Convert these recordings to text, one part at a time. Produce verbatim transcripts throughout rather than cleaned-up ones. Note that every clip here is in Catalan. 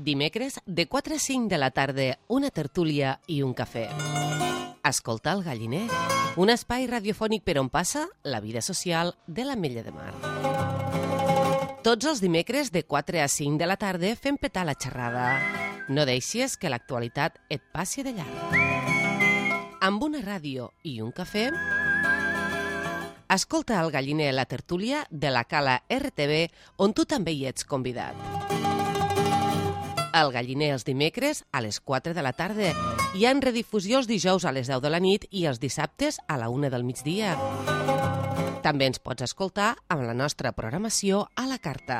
Dimecres, de quatre a cinc de la tarda, una tertúlia i un cafè. Escoltar el Galliner, un espai radiofònic per on passa la vida social de l'Ametlla de Mar. Tots els dimecres, de quatre a cinc de la tarda, fem petar la xerrada. No deixis que l'actualitat et passi de llarg. Amb una ràdio i un cafè, escolta el Galliner, la tertúlia de la Cala R T V, on tu també hi ets convidat. El Galliner els dimecres a les quatre de la tarda. Hi ha en redifusió els dijous a les deu de la nit i els dissabtes a la una del migdia. També ens pots escoltar amb la nostra programació a la carta.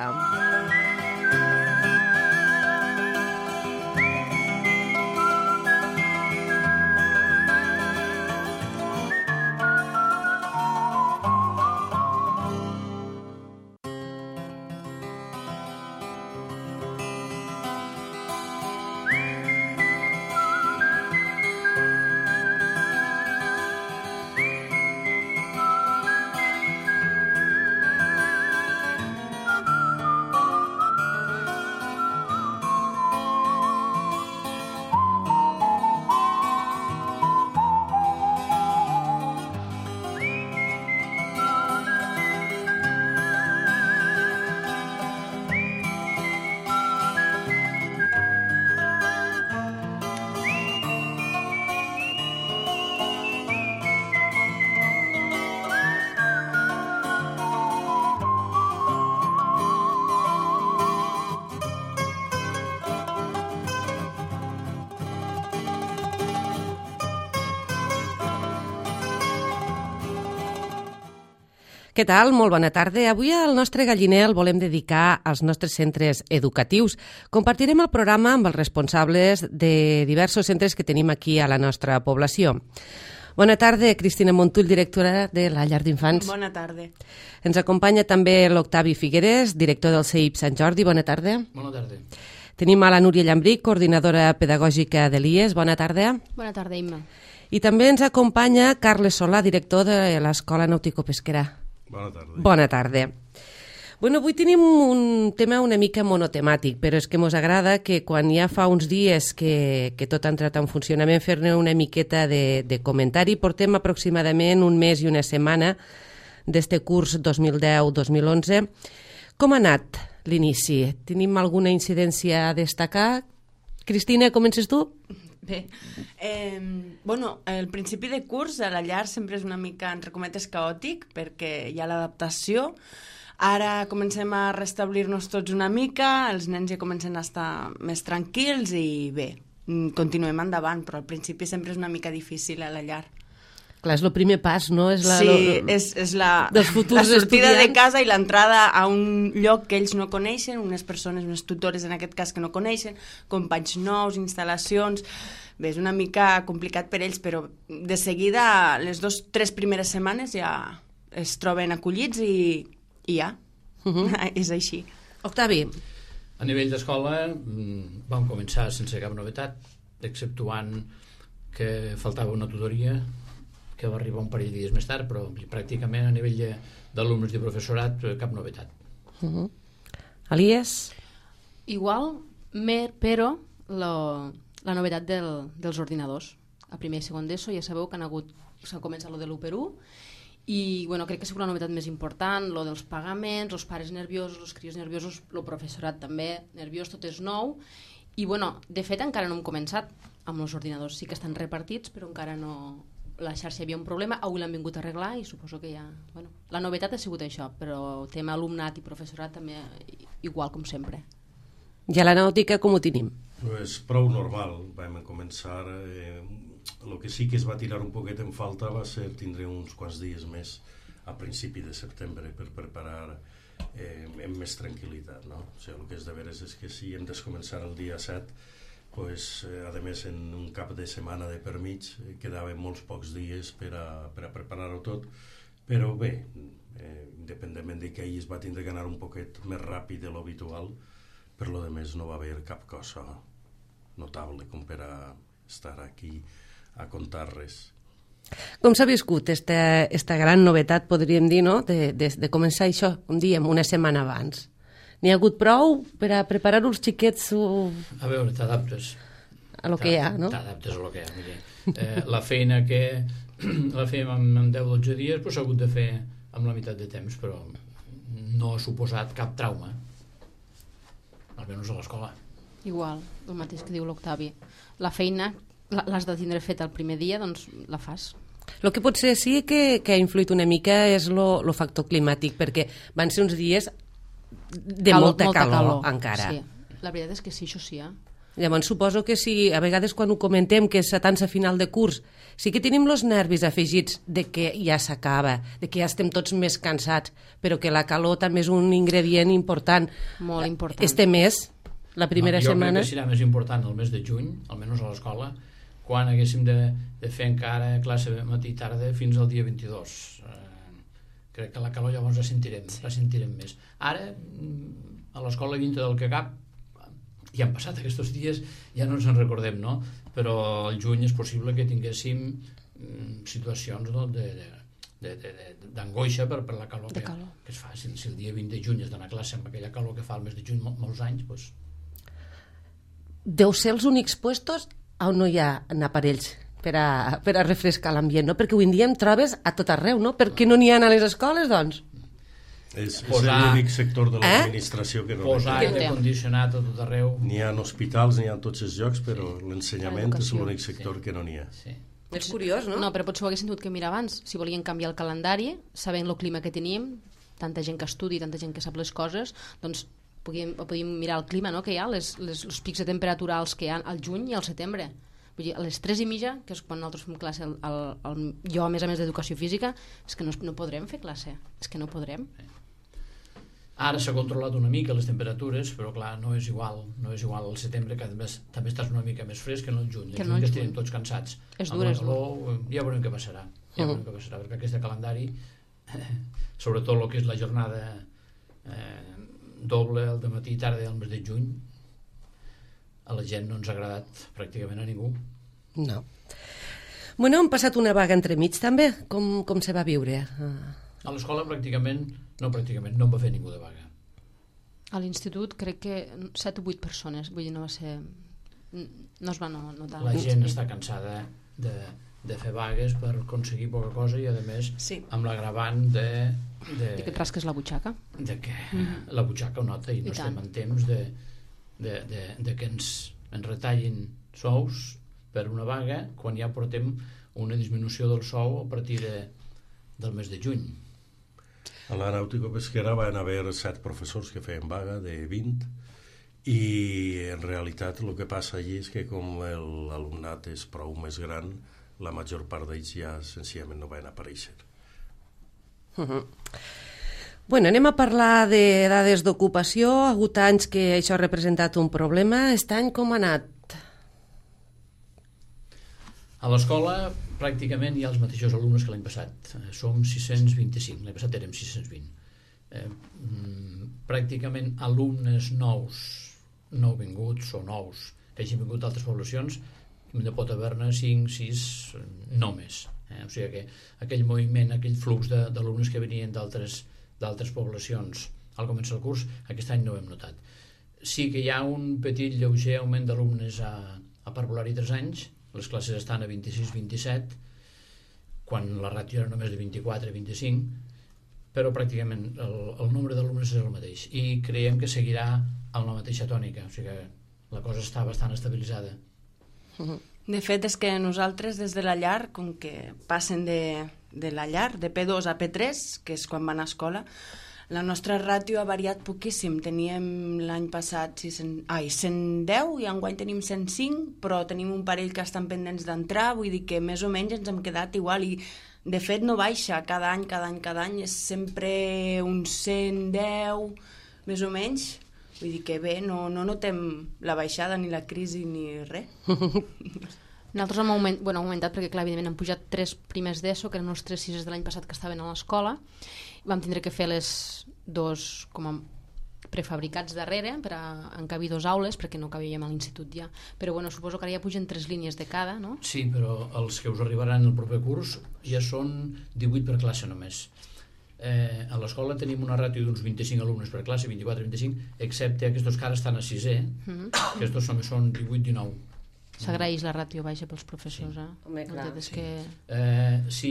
Què tal? Molt bona tarda. Avui el nostre Galliner el volem dedicar als nostres centres educatius. Compartirem el programa amb els responsables de diversos centres que tenim aquí a la nostra població. Bona tarda, Cristina Montull, directora de la Llar d'Infants. Bona tarda. Ens acompanya també l'Octavi Figueres, director del C I P Sant Jordi. Bona tarda. Bona tarda. Tenim a la Núria Llambric, coordinadora pedagògica de l'I E S. Bona tarda. Bona tarda, Imma. I també ens acompanya Carles Solà, director de l'Escola Nàutico-Pesquera. Bona tarda. Bona tarda. Bueno, avui tenim un tema una mica monotemàtic, però és que ens agrada que quan ja fa uns dies que, que tot ha entrat en funcionament fer-ne una miqueta de, de comentari. Portem aproximadament un mes i una setmana d'este curs dos mil deu dos mil onze. Com ha anat l'inici? Tenim alguna incidència a destacar? Cristina, comences tu? Bé, eh, bueno, el principi de curs a la llar sempre és una mica, entre cometes, caòtic, perquè hi ha l'adaptació. Ara comencem a restablir-nos tots una mica, els nens ja comencen a estar més tranquils i bé, continuem endavant, però al principi sempre és una mica difícil a la llar. Clar, és el primer pas, no? És la, sí, lo, és, és la, dels futurs la sortida estudiants. de casa i l'entrada a un lloc que ells no coneixen, unes persones, unes tutores en aquest cas que no coneixen, companys nous, instal·lacions. Bé, és una mica complicat per ells, però de seguida, les dues, tres primeres setmanes ja es troben acollits i, i ja, uh-huh. És així. Octavi. A nivell d'escola vam començar sense cap novetat, exceptuant que faltava una tutoria que va arribar un parell de dies més tard, però pràcticament a nivell d'alumnes i professorat cap novetat. Uh-huh. Elies? Igual, mer, però lo, la novetat del, dels ordinadors. A primer i segon d'ESO ja sabeu que han hagut, s'ha començat lo de l'u per u i bueno, crec que és una novetat més important, lo dels pagaments, els pares nerviosos, els crios nerviosos, el professorat també nerviós, tot és nou i bueno, de fet encara no hem començat amb els ordinadors, sí que estan repartits però encara no... La xarxa hi havia un problema, avui l'han vingut a arreglar i suposo que ja... Bueno, la novetat ha sigut això, però el tema alumnat i professorat també igual com sempre. I a la nàutica com ho tenim? Pues prou normal, vam començar... Eh, el que sí que es va tirar un poquet en falta va ser tindre uns quants dies més a principi de setembre per preparar eh, amb més tranquil·litat, no? O sigui, el que és de veres és que si hem de començar el dia set, pues, eh, a més en un cap de setmana de per mig eh, quedaven molts pocs dies per a, per a preparar-ho tot, però bé, eh, independentment de que ahir es va tindre que anar un poquet més ràpid de l'habitual, per lo de més no va haver cap cosa notable com per a estar aquí a contar res. Com s'ha viscut esta gran novetat, podríem dir, no? de, de, de començar això un dia, una setmana abans? N'hi ha hagut prou per a preparar els xiquets uh, A veure, t'adaptes. a lo que hi ha, no? T'adaptes a lo que hi ha. Vull dir, eh, la feina que la fèiem en, en deu o dotze dies pues, s'ha hagut de fer amb la meitat de temps, però no ha suposat cap trauma, almenys a l'escola. Igual, el mateix que diu l'Octavi. La feina l'has de tindre feta el primer dia, doncs la fas. El que potser sí que, que ha influït una mica és el factor climàtic, perquè van ser uns dies de calor, molta, molta calor, calor encara. Sí. La veritat és que sí, això sí, eh? Llavors suposo que si a vegades quan ho comentem que és a tant a final de curs sí que tenim els nervis afegits de que ja s'acaba, de que ja estem tots més cansats, però que la calor també és un ingredient important. Molt important. Este mes, la primera no, jo setmana... Jo crec que serà més important el mes de juny, almenys a l'escola, quan haguéssim de, de fer encara classe matí i tarda fins al dia vint-i-dos. Eh, crec que la calor llavors la sentirem, la sentirem més. Ara, a l'escola dintre del que cap, ja han passat aquests dies, ja no ens en recordem, no? Però al juny és possible que tinguéssim mm, situacions no, de, de, de, de, d'angoixa per, per la calor, de que, calor que es fa. Si, si el dia vint de juny has d'anar a classe amb aquella calor que fa el mes de juny mol, molts anys, doncs... Deu ser els únics puestos on no hi ha aparells per a, per a refrescar l'ambient, no? Perquè avui en dia em trobes a tot arreu, no? Per què no n'hi ha a les escoles, doncs? És, és Posar- l'únic sector de Eh? l'administració que no Posar té. aire condicionat a tot arreu. N'hi ha en hospitals, n'hi ha en tots els llocs, però l'ensenyament és L'educació. l'únic sector que no n'hi ha. Sí. És curiós, no? No, però potser ho haguessin tingut que mirar abans. Si volien canviar el calendari, sabent el clima que teníem, tanta gent que estudi, tanta gent que sap les coses, doncs podíem, podíem mirar el clima no, que hi ha, les, les, els pics de temperatura alts que hi ha al juny i al setembre. Vull dir, a les tres i mitja, que és quan nosaltres fem classe, el, el, el, jo a més a més d'educació física, és que no, no podrem fer classe, és que no podrem. Ara s'ha controlat una mica les temperatures, però clar, no és igual, no és igual al setembre, que també, també estàs una mica més fresc que en el juny. Que El no juny el ja juny. estarem tots cansats. És Amb dur, la és dur. calor, ja veurem què passarà. Ja veurem què passarà, perquè aquest calendari, sobretot el que és la jornada eh, doble, el de matí i tarda del mes de juny, a la gent no ens ha agradat pràcticament a ningú. No. Bueno, hem passat una vaga entremig també. Com, com se va viure? Ah. A l'escola pràcticament, no pràcticament, no en va fer ningú de vaga. A l'institut crec que set o vuit persones, vull dir, no va ser... no es va notar. La gent està cansada de, de fer vagues per aconseguir poca cosa i a més Sí. amb l'agravant de, de, I que et rasques la butxaca. de que la butxaca ho nota i no I estem tant. en temps de, de, de, de que ens, ens retallin sous per una vaga quan ja portem una disminució del sou a partir de, del mes de juny. A la nàutico-pesquera van haver set professors que feien vaga de vint i en realitat el que passa allí és que com l'alumnat és prou més gran, la major part d'ells ja senzillament no van aparèixer. Uh -huh. Bueno, anem a parlar de dades d'ocupació. Ha hagut anys que això ha representat un problema. Aquest any com ha anat? A l'escola pràcticament hi ha els mateixos alumnes que l'any passat. Eh, Som sis-cents vint-i-cinc, l'any passat érem sis-cents vint. Eh, mm, pràcticament alumnes nous, nouvinguts o nous, que hagin vingut d'altres poblacions, ne pot haver-ne cinc, sis, no més. Eh? O sigui que aquell moviment, aquell flux de- d'alumnes que venien d'altres d'altres poblacions al començar el curs, aquest any no ho hem notat. Sí que hi ha un petit lleuger augment d'alumnes a, a parvular i tres anys, les classes estan a vint-i-sis vint-i-set, quan la ràtio era només de vint-i-quatre vint-i-cinc, però pràcticament el, el nombre d'alumnes és el mateix i creiem que seguirà amb la mateixa tònica, o sigui que la cosa està bastant estabilitzada. De fet, és que nosaltres des de la llar, com que passen de, de la llar, de P dos a P tres, que és quan van a escola, la nostra ràtio ha variat poquíssim. Teníem l'any passat cent, ai, cent deu i enguany tenim cent cinc, però tenim un parell que estan pendents d'entrar, vull dir que més o menys ens hem quedat igual i de fet no baixa cada any, cada any, cada any, és sempre un cent deu, més o menys. Vull dir que bé, no, no notem la baixada ni la crisi ni res. Nosaltres hem, augment, bueno, hem augmentat perquè, clar, evidentment han pujat tres primers d'ESO, que eren els tres sises de l'any passat que estaven a l'escola. Vam tindre que fer les dos com a prefabricats darrere per a encabir dos aules, perquè no cabíem a l'institut ja. Però bueno, suposo que ara ja pugen tres línies de cada, no? Sí, però els que us arribaran el proper curs ja són divuit per classe només. eh, a l'escola tenim una ràtio d'uns vint-i-cinc alumnes per classe, vint-i-quatre vint-i-cinc, excepte aquests que ara estan a sisè, mm-hmm. aquests només són divuit dinou. S'agraeix la ràtio baixa pels professors, eh? Home, clar. Sí. Que... Eh, si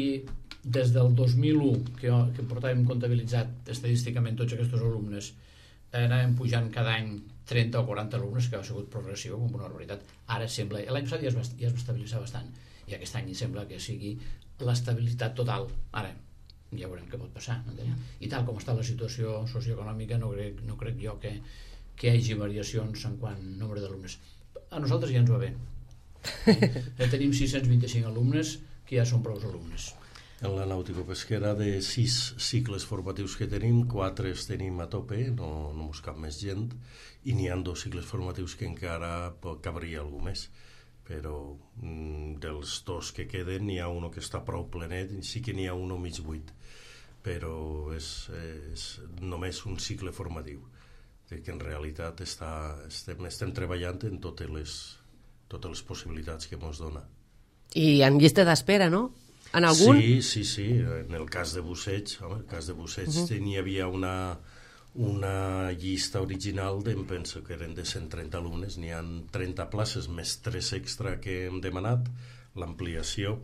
des del dos mil u, que, que portàvem comptabilitzat estadísticament tots aquests alumnes, eh, anàvem pujant cada any trenta o quaranta alumnes, que ha sigut progressió, com una barbaritat. Ara sembla, l'any passat ja es, va, ja es va estabilitzar bastant, i aquest any sembla que sigui l'estabilitat total. Ara, ja veurem què pot passar. No? I tal com està la situació socioeconòmica, no crec, no crec jo que, que hi hagi variacions en quant a nombre d'alumnes. A nosaltres ja ens va bé. Ja tenim sis-cents vint-i-cinc alumnes, que ja són prou alumnes. En la nàutico-pesquera, de sis cicles formatius que tenim, quatre els tenim a tope, no, no mos cap més gent, i n'hi ha dos cicles formatius que encara cabria algú més. Però mm, dels dos que queden n'hi ha un que està prou plenet, i sí que n'hi ha un mig buit, però és, és només un cicle formatiu, que en realitat està, estem, estem treballant en totes les, totes les possibilitats que ens dona. I en llista d'espera, no? En algun? Sí, sí, sí. En el cas de Busseig, home, el cas de Busseig uh-huh. n'hi havia una, una llista original, de, em penso que eren de cent trenta alumnes, n'hi ha trenta places més tres extra que hem demanat, l'ampliació,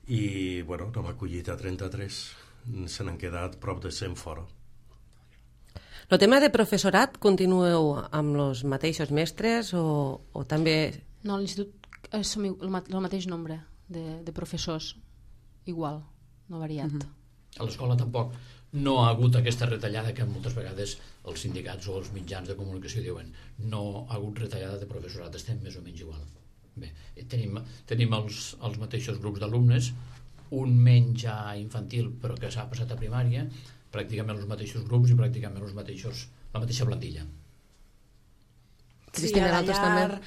i bueno, n'hem acollit a trenta-tres, se n'han quedat prop de cent fora. El tema de professorat, continueu amb els mateixos mestres o, o també... No, a l'institut és el mateix nombre de, de professors, igual, no ha variat. Uh-huh. A l'escola tampoc no ha hagut aquesta retallada que moltes vegades els sindicats o els mitjans de comunicació diuen. No ha hagut retallada de professorat, estem més o menys igual. Bé, tenim, tenim els, els mateixos grups d'alumnes, un menys ja infantil però que s'ha passat a primària, pràcticament els mateixos grups i pràcticament els mateixos, la mateixa plantilla. Sí, a la llar...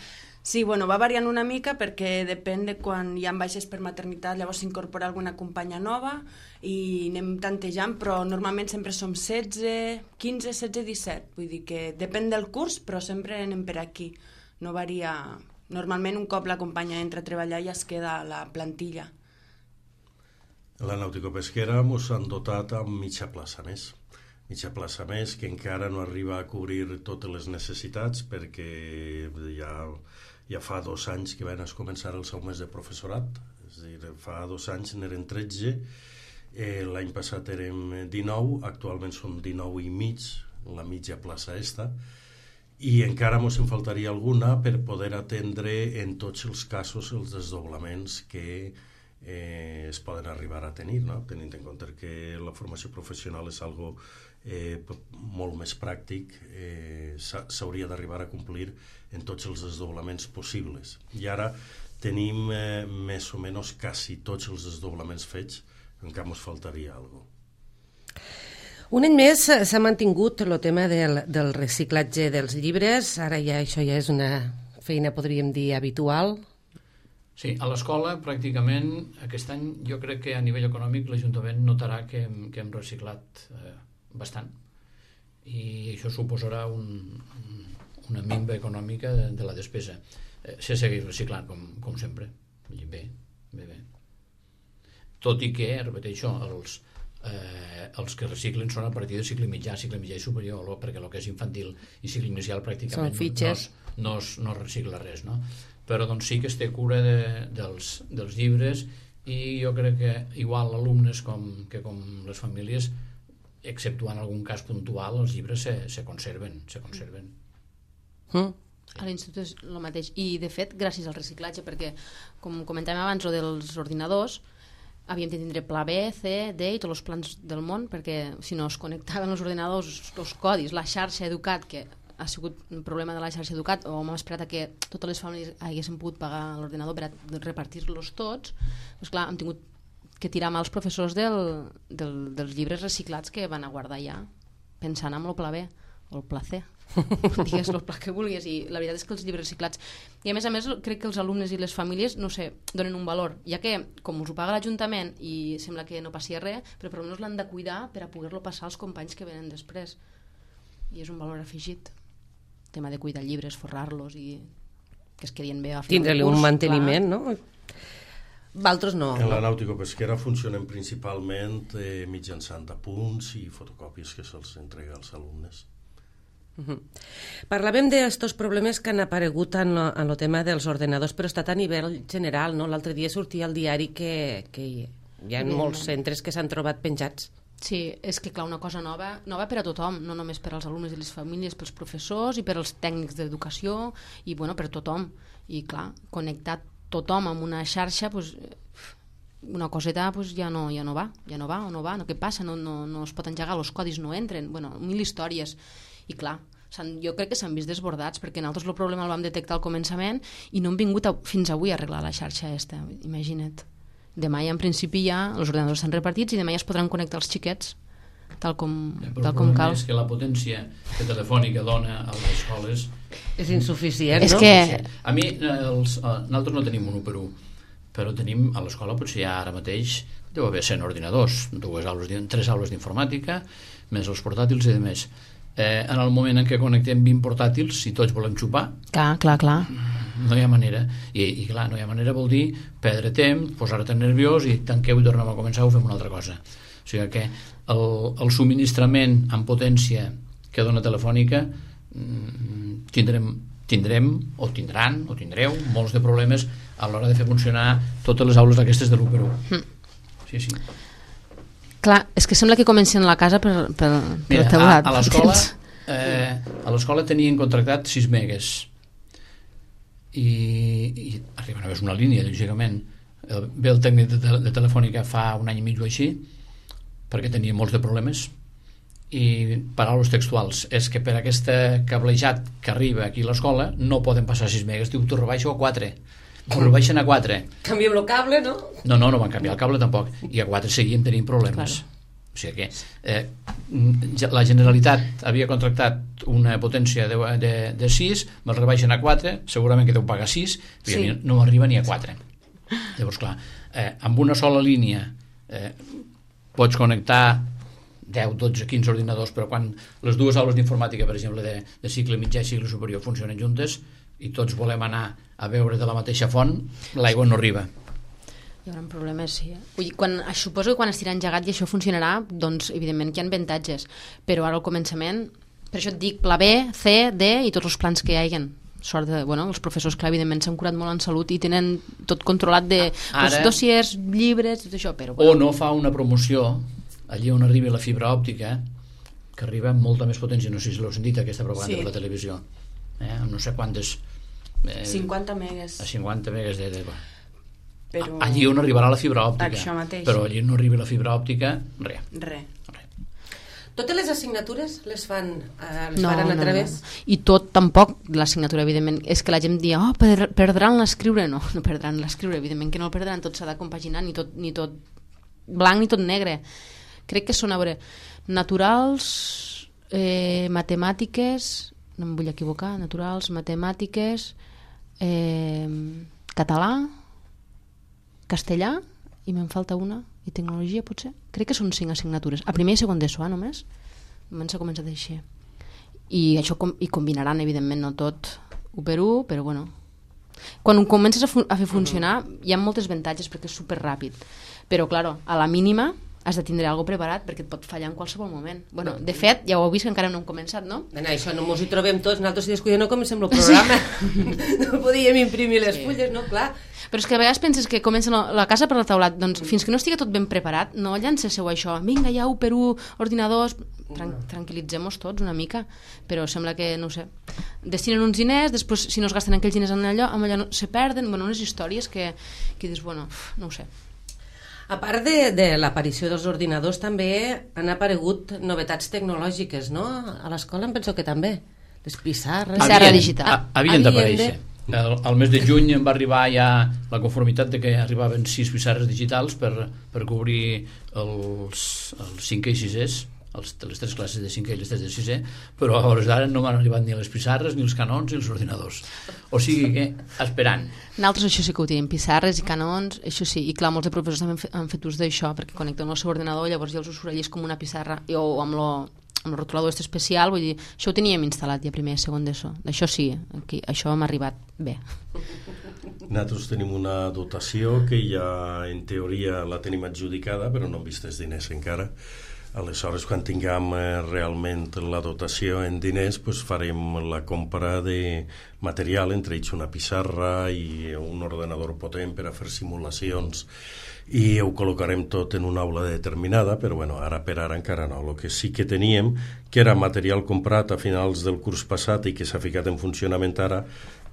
Sí, bueno, va variant una mica perquè depèn de quan hi ha baixes per maternitat, llavors s'incorpora alguna companya nova i anem tantejant, però normalment sempre som setze, quinze, setze, disset. Vull dir que depèn del curs, però sempre anem per aquí. No varia... Normalment un cop la companya entra a treballar ja es queda a la plantilla. A la nàutico-pesquera ens han dotat amb mitja plaça més. Mitja plaça més que encara no arriba a cobrir totes les necessitats perquè ja... Ja fa dos anys que van començar els augments de professorat, és a dir, fa dos anys n'eren tretze, eh, l'any passat érem dinou, actualment som dinou i mig, la mitja plaça esta, i encara ens en faltaria alguna per poder atendre en tots els casos els desdoblaments que eh, es poden arribar a tenir, no? Tenint en compte que la formació professional és algo eh, molt més pràctic, eh, s'hauria d'arribar a complir en tots els desdoblaments possibles. I ara tenim eh, més o menys quasi tots els desdoblaments fets, encara ens faltaria alguna cosa. Un any més s'ha mantingut el tema del, del reciclatge dels llibres, ara ja això ja és una feina, podríem dir, habitual. Sí, a l'escola pràcticament aquest any jo crec que a nivell econòmic l'Ajuntament notarà que hem, que hem reciclat eh, bastant i això suposarà un, una minva econòmica de, de la despesa. Eh, se segueix reciclant com, com sempre. Bé, bé, bé. Tot i que, repeteixo, els, eh, els que reciclen són a partir de cicle mitjà, cicle mitjà i superior, perquè el que és infantil i cicle inicial pràcticament no, no, es, no, es, no es recicla res, no? Però doncs sí que es té cura de, dels, dels llibres i jo crec que igual alumnes com, que com les famílies, exceptuant algun cas puntual, els llibres se, se conserven, se conserven. Mm. A l'institut és el mateix. I, de fet, gràcies al reciclatge, perquè, com comentàvem abans, o dels ordinadors, havíem de tindre pla B, C, D i tots els plans del món, perquè si no es connectaven els ordinadors, els codis, la xarxa Educat, que ha sigut un problema de la xarxa Educat, o hem esperat a que totes les famílies haguessin pogut pagar l'ordinador per a repartir-los tots, doncs clar, hem tingut que tirar mà els professors del, del, dels llibres reciclats que van a guardar ja, pensant en el pla B o el pla C, digues el pla que vulguis, i la veritat és que els llibres reciclats, i a més a més crec que els alumnes i les famílies, no sé, donen un valor, ja que com us ho paga l'Ajuntament i sembla que no passi res, però per almenys l'han de cuidar per a poder-lo passar als companys que venen després, i és un valor afegit, el tema de cuidar llibres, forrar-los i que es quedin bé a final tindre-li un manteniment, clar. No? D'altres no. En la no? nàutico-pesquera funcionen principalment eh, mitjançant apunts i fotocòpies que se'ls entrega als alumnes. Uh-huh. Parlàvem d'estos problemes que han aparegut en lo, en lo tema dels ordenadors, però ha estat a nivell general, no? L'altre dia sortia al diari que, que hi ha molts centres que s'han trobat penjats. Sí, és que clar, una cosa nova, nova per a tothom, no només per als alumnes i les famílies, pels professors i per als tècnics d'educació i bueno, per tothom. I clar, connectar tothom amb una xarxa, pues, una coseta pues, ja, no, ja no va, ja no va o no va, no, què passa? No, no, no es pot engegar, els codis no entren, bueno, mil històries. I clar, jo crec que s'han vist desbordats perquè nosaltres el problema el vam detectar al començament i no hem vingut a, fins avui a arreglar la xarxa esta, imagina't. Demà ja en principi ja els ordenadors estan repartits i demà ja es podran connectar els xiquets tal com, ja, tal com cal. És que la potència que Telefònica dona a les escoles és insuficient, és no? Que... A mi, els, nosaltres no tenim un u per u, però tenim a l'escola, potser ja ara mateix deu haver cent ordinadors, dues aules, tres aules d'informàtica, més els portàtils i de més. Eh, en el moment en què connectem vint portàtils, si tots volem xupar, clar, clar, clar. no hi ha manera. I, i clar, no hi ha manera vol dir perdre temps, posar-te nerviós i tanqueu i tornem a començar o fem una altra cosa. O sigui que el, el subministrament en potència que dona Telefònica tindrem, tindrem o tindran o tindreu molts de problemes a l'hora de fer funcionar totes les aules d'aquestes de l'u per u. Sí, sí. Clar, és que sembla que comencen a la casa per, per, per Mira, el teulat. A, a l'escola eh, a l'escola tenien contractat sis megues i, i arriben a veure una línia, lògicament. Ve el tècnic de, de Telefònica fa un any i mig o així perquè tenia molts de problemes i paraules textuals és que per aquest cablejat que arriba aquí a l'escola no poden passar sis megues, diu, t'ho rebaixo a quatre. Ho rebaixen a quatre. Canviem el cable, no? No, no, no van canviar el cable tampoc. I a quatre seguien tenint problemes. Claro. O sigui que eh, la Generalitat havia contractat una potència de, de, de sis, me'l rebaixen a quatre, segurament que deu pagar sis, però sí. No m'arriba ni a quatre. Llavors, clar, eh, amb una sola línia eh, pots connectar deu, dotze, quinze ordinadors, però quan les dues aules d'informàtica, per exemple, de, de cicle mitjà i cicle superior funcionen juntes i tots volem anar a veure de la mateixa font, l'aigua no arriba. Hi haurà problemes, sí. Vull dir, quan, suposo que quan estirà engegat i això funcionarà, doncs evidentment que hi ha avantatges, però ara al començament, per això et dic pla B, C, D i tots els plans que hi hagin. Sort de, bueno, els professors, clar, evidentment s'han curat molt en salut i tenen tot controlat de ara, doncs, dossiers, llibres, tot això, però... Bueno. O no fa una promoció allí on arribi la fibra òptica, que arriba amb molta més potència, no sé si l'heu sentit aquesta propaganda sí. Per la televisió, eh? Amb no sé quantes... Eh, cinquanta megues. A cinquanta megues de... de però... Allí on arribarà la fibra òptica. Això mateix. Però allí on no arribi la fibra òptica, res. Re. Re. Totes les assignatures les fan eh, les no, faran a no, través? No. I tot tampoc, l'assignatura, evidentment, és que la gent dia, oh, per, perdran l'escriure. No, no perdran l'escriure, evidentment que no el perdran, tot s'ha de compaginar, ni tot, ni tot blanc ni tot negre. Crec que són, a veure, naturals, eh, matemàtiques, no em vull equivocar, naturals, matemàtiques, eh, català, castellà, i me'n falta una, i tecnologia potser. Crec que són cinc assignatures. A primer i segon d'ESO, eh, només. Només s'ha començat així. I això com, i combinaran, evidentment, no tot u per u, però bueno. Quan ho comences a, fu- a fer funcionar, hi ha moltes avantatges perquè és superràpid. Però, claro, a la mínima has de tindre alguna preparat perquè et pot fallar en qualsevol moment. Bueno, de fet, ja ho heu vist que encara no hem començat, no? Bueno, això no mos hi trobem tots, nosaltres si descuidem no comencem el programa. Sí. No podíem imprimir les sí. fulles, no? Clar. Però és que a vegades penses que comencen la casa per la taulat, doncs fins que no estigui tot ben preparat, no llancéssiu això, vinga, ja u per u, ordinadors, Tran- tranquil·litzem-nos tots una mica, però sembla que, no ho sé, destinen uns diners, després si no es gasten aquells diners en allò, amb allò no, se perden, bueno, unes històries que, que dius, bueno, no ho sé. A part de, de l'aparició dels ordinadors, també han aparegut novetats tecnològiques, no? A l'escola em penso que també. Les pissarres... Pissarra digital. Havien d'aparèixer. El, el mes de juny em va arribar ja la conformitat de que arribaven sis pissarres digitals per, per cobrir els, els cinquè i sisès, els, les tres classes de cinquè i les tres de sisè, però a hores d'ara no m'han arribat ni les pissarres, ni els canons, ni els ordinadors. O sigui que, esperant. Nosaltres això sí que ho tenim, pissarres i canons, això sí, i clar, molts de professors també han fet, han fet ús d'això, perquè connecten el seu ordinador, llavors ja els us surt com una pissarra, o amb lo, amb el rotulador este especial, vull dir, això ho teníem instal·lat ja primer, segon d'ESO, d'això sí, aquí, això m'ha arribat bé. Nosaltres tenim una dotació que ja en teoria la tenim adjudicada, però no hem vist els diners encara. Aleshores, quan tinguem eh, realment la dotació en diners, pues farem la compra de material, entre ells una pissarra i un ordenador potent per a fer simulacions, i ho col·locarem tot en una aula determinada, però bueno, ara per ara encara no. El que sí que teníem, que era material comprat a finals del curs passat i que s'ha ficat en funcionament ara,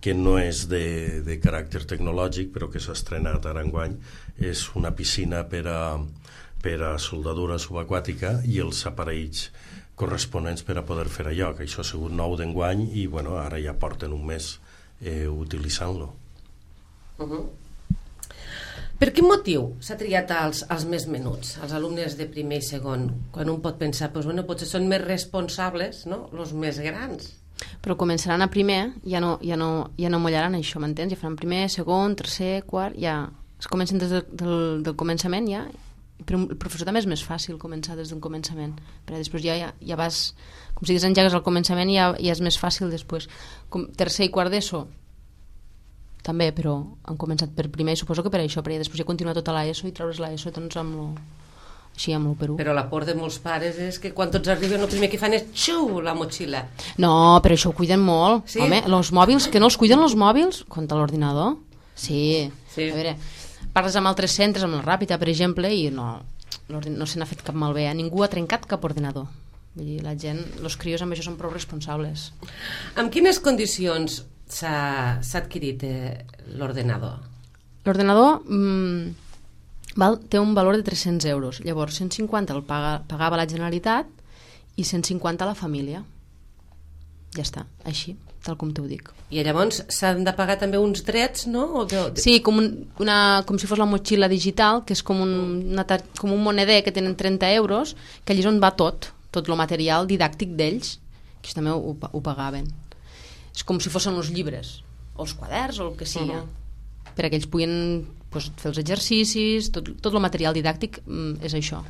que no és de, de caràcter tecnològic, però que s'ha estrenat ara enguany, és una piscina per a, per a soldadura subaquàtica i els aparells corresponents per a poder fer allò, que això ha sigut nou d'enguany i bueno, ara ja porten un mes eh, utilitzant-lo. Uh-huh. Per quin motiu s'ha triat als, als més menuts, als alumnes de primer i segon, quan un pot pensar, doncs, bueno, potser són més responsables, no?, els més grans? Però començaran a primer, ja no, ja no, ja no mollaran això, m'entens? Ja faran primer, segon, tercer, quart, ja es comencen des del, del, del començament, ja. Però el professor també és més fàcil començar des del començament, perquè després ja, ja, ja vas, com si desengegues al començament, ja, ja és més fàcil després. Com, tercer i quart d'ESO, també, però han començat per primer i suposo que per això, perquè després ja continua tota l'ESO i traure's l'ESO doncs amb lo, així amb l'u per u. Però la por de molts pares és que quan tots arriben el primer que fan és xiu, la motxilla. No, però això ho cuiden molt. Sí? Home, els mòbils, que no els cuiden els mòbils contra l'ordinador? Sí. Sí. A veure, parles amb altres centres, amb la Ràpita, per exemple, i no, no se n'ha fet cap malbé. Ningú ha trencat cap ordinador. Vull dir, la gent, els crios amb això són prou responsables. Amb quines condicions s'ha adquirit eh, l'ordenador? L'ordenador mmm, val, té un valor de tres-cents euros. Llavors, cent cinquanta el paga, pagava la Generalitat i cent cinquanta la família. Ja està, així, tal com t'ho dic. I llavors s'han de pagar també uns drets, no? O de... Sí, com, un, una, com si fos la motxilla digital, que és com un, una, com un moneder que tenen trenta euros, que allà és on va tot, tot el material didàctic d'ells, que també ho, ho pagaven. És com si fossin els llibres, o els quaderns, o el que sigui, uh-huh. perquè ells puguin pues, fer els exercicis, tot, tot el material didàctic mm, és això.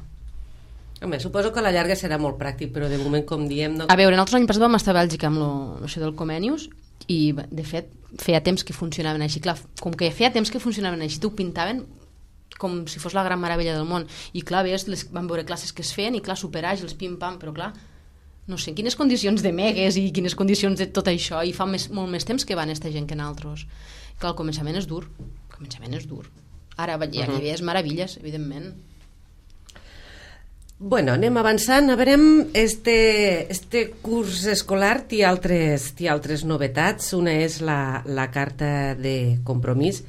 Home, suposo que a la llarga serà molt pràctic, però de moment, com diem... No... A veure, nosaltres l'any passat vam estar a Bèlgica amb lo, això del Comenius i, de fet, feia temps que funcionaven així. Clar, com que feia temps que funcionaven així, t'ho pintaven com si fos la gran meravella del món. I clar, ves, les, van veure classes que es feien i clar, superàgils, pim-pam, però clar, no sé, quines condicions de megues i quines condicions de tot això, i fa més, molt més temps que van esta gent que nosaltres. Clar, el començament és dur, el començament és dur. Ara ja hi havia meravelles, evidentment. Bueno, anem avançant. A veure, este, este curs escolar té altres, té altres novetats. Una és la, la carta de compromís.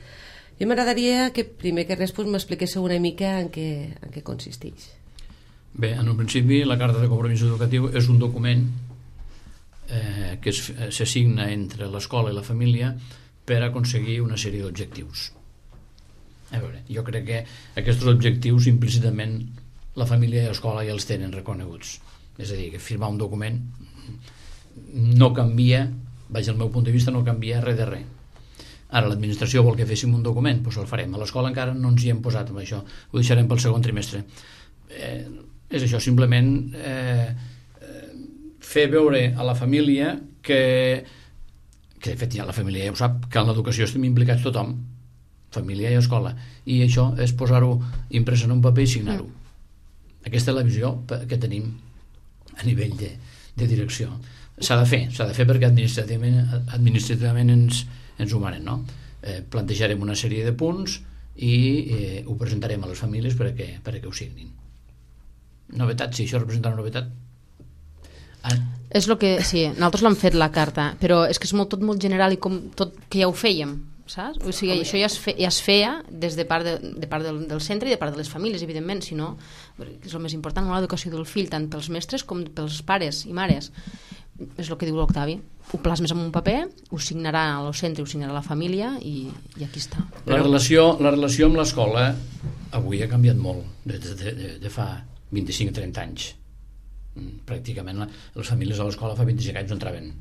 I m'agradaria que primer que res pues, m'expliquéssiu una mica en què, en què consisteix. Bé, en un principi la carta de compromís educatiu és un document eh, que s'assigna entre l'escola i la família per aconseguir una sèrie d'objectius. A veure, jo crec que aquests objectius implícitament la família i l'escola ja els tenen reconeguts. És a dir, que firmar un document no canvia, vaig al meu punt de vista, no canvia res de res. Ara l'administració vol que féssim un document, doncs el farem. A l'escola encara no ens hi hem posat amb això, ho deixarem pel segon trimestre. Eh, és això, simplement eh, fer veure a la família que, que de fet ja la família ja ho sap, que en l'educació estem implicats tothom, família i escola, i això és posar-ho imprès en un paper i signar-ho. Aquesta és la visió que tenim a nivell de, de direcció. S'ha de fer, s'ha de fer perquè administrativament, administrativament ens, ens ho manen, no? Eh, plantejarem una sèrie de punts i eh, ho presentarem a les famílies perquè, perquè ho signin. Novetat, sí, això representa una novetat. Ah. És el que, sí, nosaltres l'hem fet la carta, però és que és molt, tot molt general i com tot que ja ho fèiem, saps? O sigui, això ja es, fe, ja es feia des de part, de, de part del, del centre i de part de les famílies, evidentment, si no, és el més important, l'educació del fill, tant pels mestres com pels pares i mares. És el que diu l'Octavi. Ho plasmes en un paper, ho signarà al centre, ho signarà la família i, i aquí està. La relació, la relació amb l'escola avui ha canviat molt, de, de, de, de fa vint-i-cinc a trenta anys. Pràcticament les famílies a l'escola fa vint-i-cinc anys no entraven.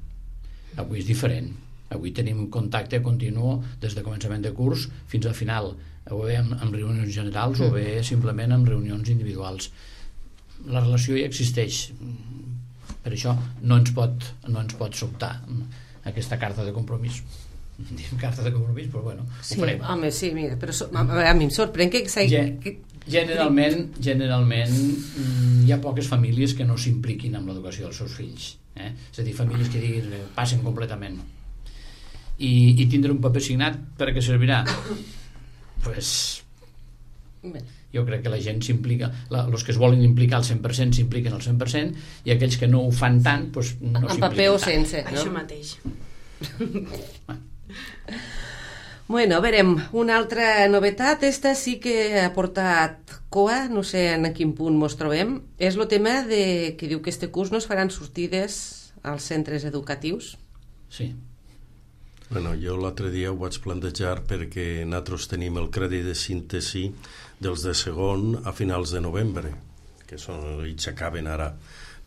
Avui és diferent. Avui tenim contacte continu des de començament de curs fins al final, o bé amb, amb reunions generals o bé simplement amb reunions individuals. La relació ja existeix. Per això no ens pot, no ens pot sobtar aquesta carta de compromís. diem carta de compromís, però bueno, sí, ho farem. Home, sí, mira, però so, a, a mi em sorprèn que... Gen que... Generalment, generalment hi ha poques famílies que no s'impliquin amb l'educació dels seus fills. Eh? És a dir, famílies que diguin, passen completament. I, i tindre un paper signat per a què servirà? Pues, jo crec que la gent s'implica, els que es volen implicar al cent per cent s'impliquen al cent per cent i aquells que no ho fan tant pues, no s'impliquen tant. En paper o sense, no? Això mateix. Bueno, verem, una altra novetat, esta sí que ha portat coa, no sé en quin punt mos trobem, és el tema de que diu que este curs no es faran sortides als centres educatius. Sí. Bueno, jo l'altre dia ho vaig plantejar perquè nosaltres tenim el crèdit de síntesi dels de segon a finals de novembre, que són, i s'acaben ara,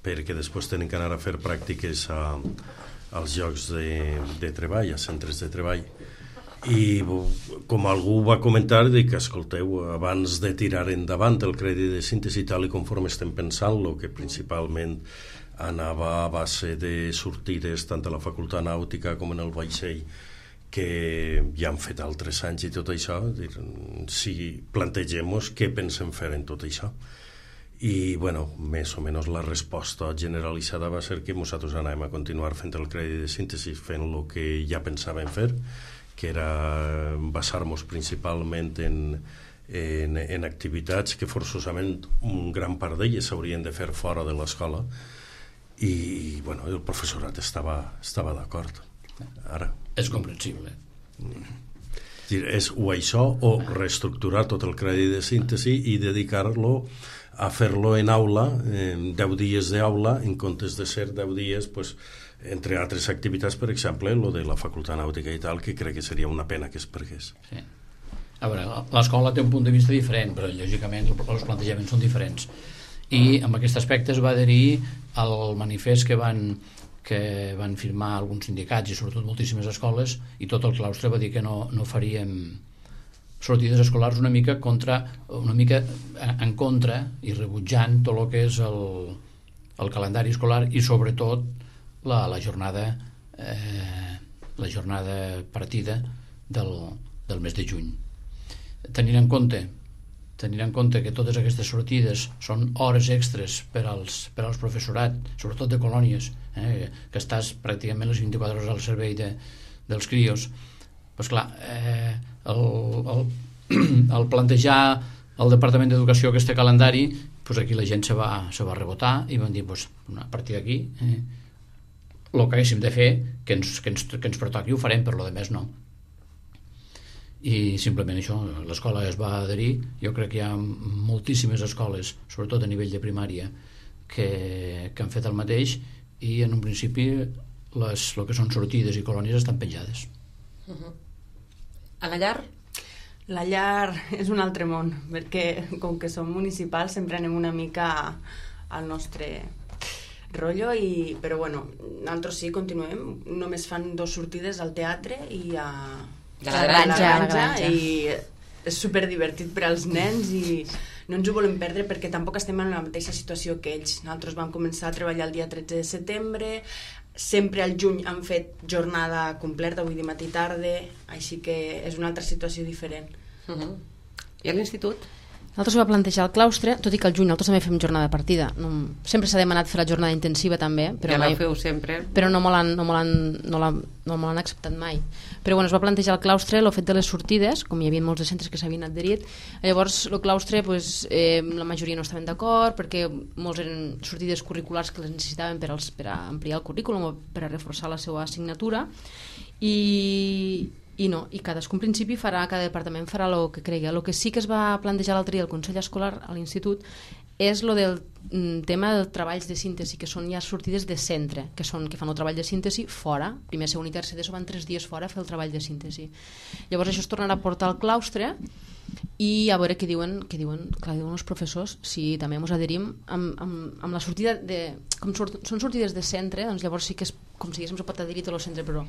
perquè després tenen que anar a fer pràctiques a, als llocs de, de treball, a centres de treball. I com algú va comentar, dic, escolteu, abans de tirar endavant el crèdit de síntesi tal i conforme estem pensant-lo, que principalment anava a base de sortides tant a la facultat nàutica com en el vaixell, que ja han fet altres anys i tot això, dir, si plantegem-nos què pensem fer en tot això. I, bueno, més o menys la resposta generalitzada va ser que nosaltres anàvem a continuar fent el crèdit de síntesi, fent el que ja pensàvem fer, que era basar-nos principalment en, en, en activitats que forçosament un gran part d'elles s'haurien de fer fora de l'escola i bueno, el professorat estava, estava d'acord. Ara és comprensible. És o això o reestructurar tot el crèdit de síntesi i dedicar-lo a fer-lo en aula, en deu dies d'aula, en comptes de ser deu dies, pues, entre altres activitats, per exemple, lo de la facultat nàutica i tal, que crec que seria una pena que es pergués. Sí. A veure, l'escola té un punt de vista diferent, però lògicament els plantejaments són diferents. I amb aquest aspecte es va adherir al manifest que van, que van firmar alguns sindicats i sobretot moltíssimes escoles, i tot el claustre va dir que no, no faríem sortides escolars una mica contra, una mica en contra i rebutjant tot el que és el, el calendari escolar i sobretot la, la jornada eh, la jornada partida del, del mes de juny. Tenint en compte tenint en compte que totes aquestes sortides són hores extres per als, per als professorat, sobretot de colònies, eh, que estàs pràcticament les vint-i-quatre hores al servei de, dels crios, doncs clar, eh, el, el, el plantejar al Departament d'Educació aquest calendari, doncs aquí la gent se va, se va rebotar i van dir, doncs, a partir d'aquí eh, el que haguéssim de fer que ens, que ens, que ens pertoqui ho farem, per lo de més no. I simplement això, l'escola es va adherir. Jo crec que hi ha moltíssimes escoles, sobretot a nivell de primària, que, que han fet el mateix i en un principi les, el que són sortides i colònies estan penjades. Uh-huh. A la llar? La llar és un altre món, perquè com que som municipals sempre anem una mica al nostre rotllo, i, però bueno, nosaltres sí, continuem, només fan dos sortides al teatre i a, a la granja, la granja, la granja. i és superdivertit per als nens i no ens ho volem perdre perquè tampoc estem en la mateixa situació que ells. Nosaltres vam començar a treballar el dia tretze de setembre, sempre al juny han fet jornada completa, vull dir matí i tarda, així que és una altra situació diferent. Uh-huh. I a l'institut? Nosaltres ho va plantejar el claustre, tot i que al juny nosaltres també fem jornada de partida. No, sempre s'ha demanat fer la jornada intensiva també, però, ja mai, la feu sempre. però no me l'han no me l'han no l'han no me l'han acceptat mai. Però bueno, es va plantejar el claustre, el fet de les sortides, com hi havia molts de centres que s'havien adherit. Llavors el claustre, pues, eh, la majoria no estaven d'acord perquè molts eren sortides curriculars que les necessitaven per, als, per a ampliar el currículum o per a reforçar la seva assignatura, i i no, i cadascun principi farà, cada departament farà el que cregui. El que sí que es va plantejar l'altre dia al Consell Escolar a l'institut és lo del mm, tema dels treballs de síntesi, que són ja sortides de centre, que són que fan el treball de síntesi fora, primer, segon i tercer d'ESO van tres dies fora a fer el treball de síntesi. Llavors això es tornarà a portar al claustre i a veure què diuen, què diuen, clar, diuen els professors, si també ens adherim amb, amb, amb la sortida de... Com sort, són sortides de centre, doncs llavors sí que és com si diguéssim, se pot adherir tot el centre, però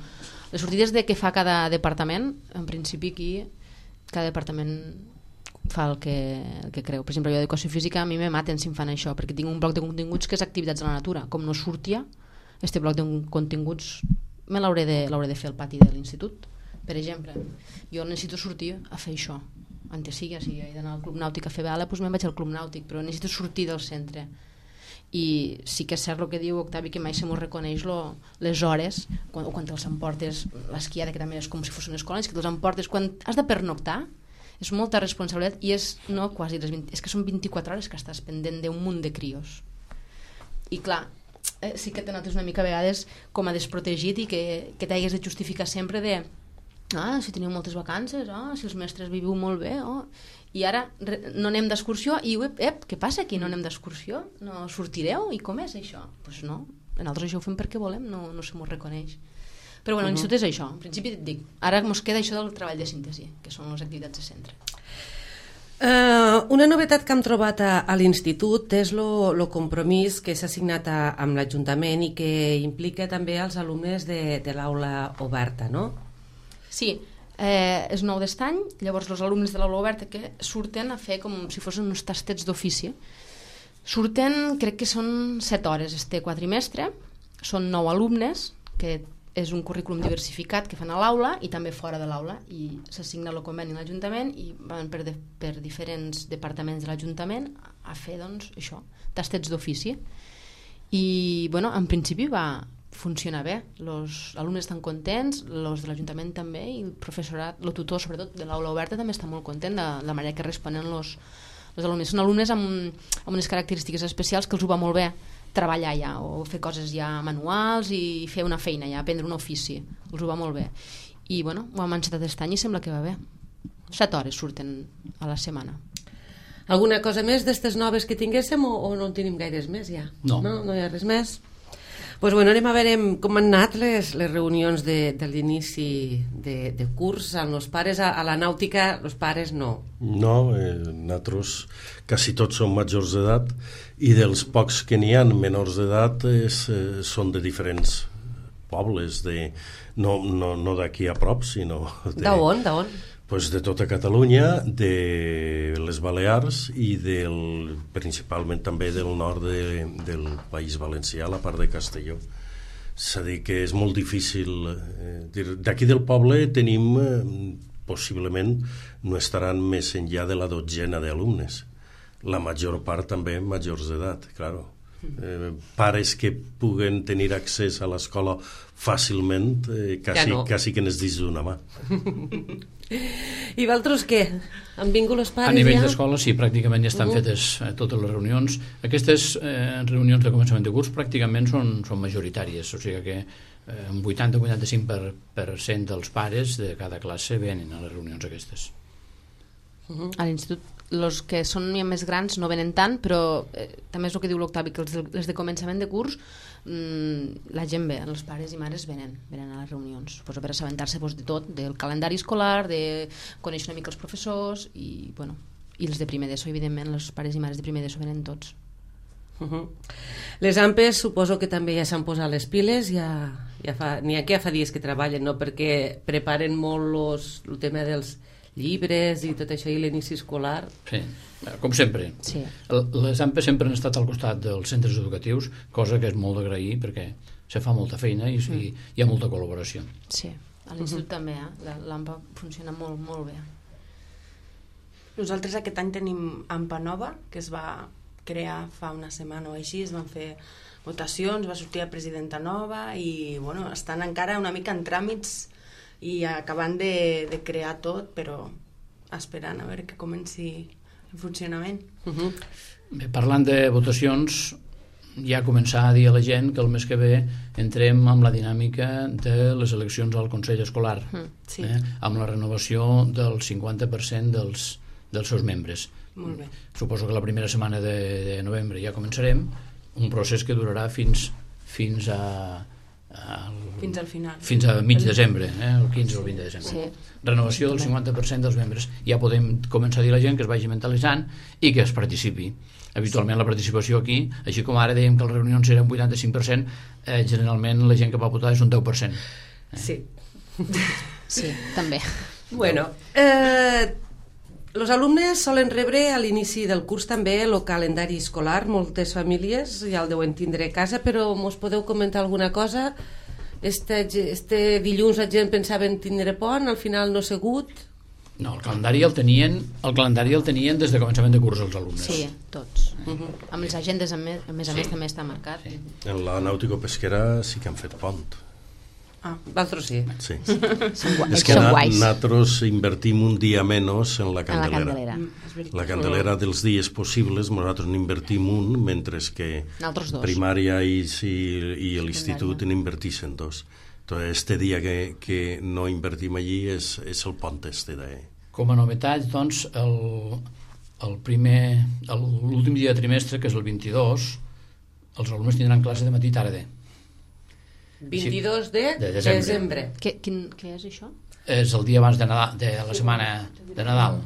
les sortides de què fa cada departament, en principi aquí cada departament fa el que, el que creu. Per exemple, jo d'educació física a mi me maten si em fan això, perquè tinc un bloc de continguts que és activitats a la natura. Com no sortia, este bloc de continguts me l'hauré de, l'hauré de fer al pati de l'institut, Per exemple, jo necessito sortir a fer això. Antes sí, si he d'anar al club nàutic a fer vela, doncs me'n vaig al club nàutic, però necessito sortir del centre. I sí que és cert el que diu Octavi, que mai se m'ho reconeix lo, les hores, quan, o quan te'ls emportes, l'esquiada, que també és com si fos una escola, és que te'ls emportes quan has de pernoctar, és molta responsabilitat i és, no, quasi les vint, és que són vint-i-quatre hores que estàs pendent d'un munt de crios. I clar, eh, sí que te notes una mica a vegades com a desprotegit i que, que t'hagués de justificar sempre de ah, si teniu moltes vacances, ah, si els mestres viviu molt bé, oh. I ara re, no anem d'excursió i ep, ep, què passa aquí? No anem d'excursió? No sortireu? I com és això? Doncs pues no, nosaltres això ho fem perquè volem, no, no se m'ho reconeix. Però bueno, uh -huh. l'institut és això, en principi et dic, ara mos queda això del treball de síntesi, que són les activitats de centre. Uh, una novetat que hem trobat a, a l'institut és el compromís que s'ha signat a, amb l'Ajuntament i que implica també els alumnes de, de l'aula oberta, no? Sí, eh, és nou d'estany, llavors els alumnes de l'aula oberta que surten a fer com si fossin uns tastets d'ofici. Surten, crec que són set hores este quadrimestre, són nou alumnes, que és un currículum diversificat que fan a l'aula i també fora de l'aula, i s'assigna el conveni a l'Ajuntament i van per, de, per diferents departaments de l'Ajuntament a fer, doncs, això, tastets d'ofici. I, bueno, en principi va funciona bé, els alumnes estan contents, els de l'Ajuntament també, i el professorat, el tutor sobretot de l'aula oberta també està molt content de la manera que responen els alumnes. Són alumnes amb, amb unes característiques especials que els ho va molt bé treballar ja, o fer coses ja manuals i fer una feina ja, aprendre un ofici, els ho va molt bé. I bueno, ho hem encetat aquest any i sembla que va bé. Set hores surten a la setmana. Alguna cosa més d'estes noves que tinguéssim o, o no en tenim gaires més ja? No. No, no hi ha res més? Pues bueno, anem a veure com han anat les, les reunions de, de l'inici de, de curs amb els pares. A, a la nàutica, els pares no. No, eh, nosaltres quasi tots som majors d'edat i dels pocs que n'hi ha menors d'edat eh, són de diferents pobles, de, no, no, no d'aquí a prop, sinó... D'on, d'on? Pues de tota Catalunya, de les Balears i del, principalment també del nord de, del País Valencià, la part de Castelló. És a dir, que és molt difícil. Eh, d'aquí del poble tenim, eh, possiblement, no estaran més enllà de la dotzena d'alumnes. La major part també majors d'edat, claro. Eh, pares que puguen tenir accés a l'escola fàcilment, eh, quasi, ja no. quasi que n'és dins d'una mà. I vosaltres què? Han vingut els pares ja? A nivell ja? d'escola sí, pràcticament ja estan uh -huh. fetes eh, totes les reunions. Aquestes eh, reunions de començament de curs pràcticament són, són majoritàries, o sigui que eh, un vuitanta a vuitanta-cinc per cent dels pares de cada classe venen a les reunions aquestes. Uh -huh. A l'institut els que són ja més grans no venen tant, però eh, també és el que diu l'Octavi, que els de, els de començament de curs mmm, la gent ve, els pares i mares venen, venen a les reunions, pues, per assabentar-se pues, de tot, del calendari escolar, de conèixer una mica els professors i, bueno, i els de primer d'ESO, evidentment, els pares i mares de primer d'ESO venen tots. Uh -huh. Les AMPES suposo que també ja s'han posat les piles, ja, ja fa, n'hi ha que ja fa dies que treballen, no? Perquè preparen molt los, el tema dels llibres i tot això i l'inici escolar. Sí, com sempre. Sí. Les AMPES sempre han estat al costat dels centres educatius, cosa que és molt d'agrair perquè se fa molta feina i, mm. i hi ha molta col·laboració. Sí, a l'institut uh-huh. també, eh? l'AMPA funciona molt, molt bé. Nosaltres aquest any tenim AMPA nova, que es va crear fa una setmana o així, es van fer votacions, va sortir la presidenta nova i bueno, estan encara una mica en tràmits i acabant de, de crear tot, però esperant a veure que comenci en funcionament. Uh-huh. Bé, parlant de votacions, ja començar a dir a la gent que el mes que ve entrem amb la dinàmica de les eleccions al Consell Escolar, uh-huh. sí. eh, amb la renovació del cinquanta per cent dels, dels seus membres. Molt bé. Suposo que la primera setmana de, de novembre ja començarem, un procés que durarà fins, fins a... El, fins al final, fins a mig desembre, eh? el quinze o el vint de desembre. Sí. Renovació del cinquanta per cent dels membres. Ja podem començar a dir a la gent que es vagi mentalitzant i que es participi. Habitualment la participació aquí, així com ara dèiem que les reunions eren un vuitanta-cinc per cent, eh, generalment la gent que va votar és un deu per cent. Eh? Sí. Sí, també. Bueno, eh, els alumnes solen rebre a l'inici del curs també el calendari escolar. Moltes famílies ja el deuen tindre a casa, però mos podeu comentar alguna cosa este, este dilluns la gent pensava en tindre pont, al final no ha sigut. No, el calendari el tenien, el calendari el tenien des de començament de curs els alumnes. Sí, tots. Uh-huh. Amb les agendes, a més a més, sí. també està marcat. Sí. En la nàutico-pesquera sí que han fet pont. Ah, vosaltres sí. Sí. Són, és que són na, guais. nosaltres invertim un dia menys en la candelera. En la candelera. La candelera dels dies possibles nosaltres n'invertim un, mentre que primària i, i, i l'institut n'inverteixen dos. Entonces, este dia que, que no invertim allí és, és el pont este de... Com a novetat, doncs, el, el primer, l'últim dia de trimestre, que és el vint-i-dos, els alumnes tindran classe de matí i tarda. vint-i-dos de, de desembre. desembre. Què, quin, què és això? És el dia abans de, Nadal, de la setmana de Nadal,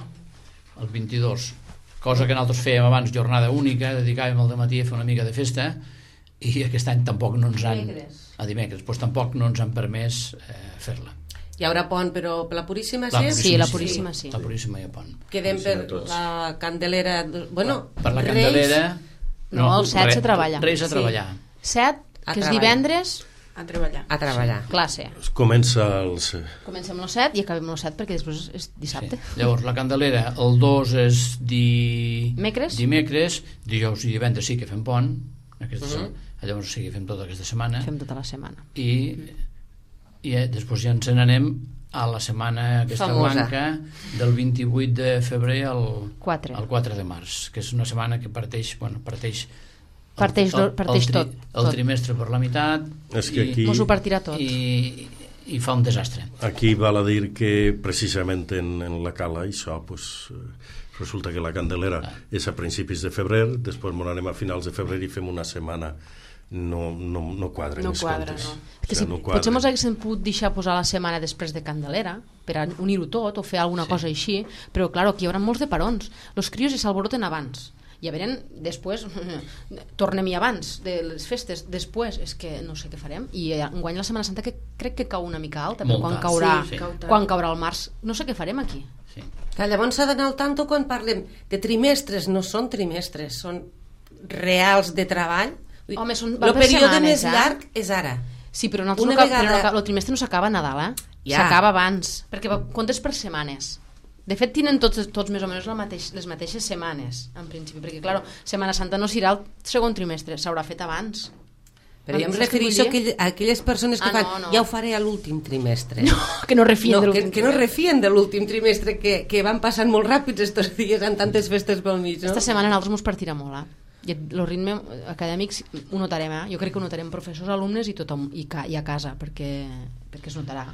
el vint-i-dos. Cosa que nosaltres fèiem abans, jornada única, dedicàvem al dematí a fer una mica de festa, i aquest any tampoc no ens han... A dimecres, doncs tampoc no ens han permès eh, fer-la. Hi haurà pont, però per la Puríssima la sí? Sí, la Puríssima sí. La Puríssima hi ha pont. Quedem per la Candelera... Bueno, per la Candelera... No, el set se treballa. Reis a treballar. set, que és divendres... A treballar. A treballar. Classe. Comença els... Comencem el set i acabem el set perquè després és dissabte. Sí. Llavors, la Candelera, el dos és di... Dimecres. Dimecres, dijous i divendres sí que fem pont, aquesta uh -huh. setmana. Llavors sí que fem tota aquesta setmana. Fem tota la setmana. I, i eh, després ja ens n'anem a la setmana aquesta famosa. blanca del vint-i-vuit de febrer al quatre. al quatre de març, que és una setmana que parteix, bueno, parteix parteix, el, el, parteix el, tri, tot, el tot. trimestre per la meitat és que aquí, i, mos ho partirà tot i, i fa un desastre. Aquí val a dir que precisament en, en la cala això pues, resulta que la Candelera ah. és a principis de febrer, després ens anem a finals de febrer i fem una setmana. No, no, no quadren no els quadra, comptes. No. Que si, no potser mos haguéssim pogut deixar posar la setmana després de Candelera per a unir-ho tot o fer alguna sí. cosa així, però clar, aquí hi haurà molts de parons. Els crios s'alboroten abans i a veure, després tornem-hi abans de les festes, després és que no sé què farem, i enguany la Setmana Santa que crec que cau una mica alta, però quan caurà, sí, sí. quan caurà el març no sé què farem aquí. Sí. Que llavors s'ha d'anar al tanto quan parlem de trimestres, no són trimestres, són reals de treball. Home, són, el període setmanes, més eh? llarg és ara. Sí, però, no, Una no, vegada... però no, el trimestre no s'acaba a Nadal, eh? Ja. S'acaba abans, perquè comptes per setmanes. De fet, tenen tots, tots més o menys la mateix, les mateixes setmanes, en principi, perquè, clar, Setmana Santa no serà el segon trimestre, s'haurà fet abans. Però jo em refereixo a aquelles persones que ah, fan, no, no. ja ho faré a l'últim trimestre. No, que no refien no, de l'últim que, que no refien de l'últim trimestre, que, que van passant molt ràpids estos dies amb tantes festes pel mig, no? Esta setmana a nosaltres mos partirà molt, eh? I el ritme acadèmic ho notarem, eh? Jo crec que ho notarem professors, alumnes i tothom, i, ca, i a casa, perquè, perquè es notarà.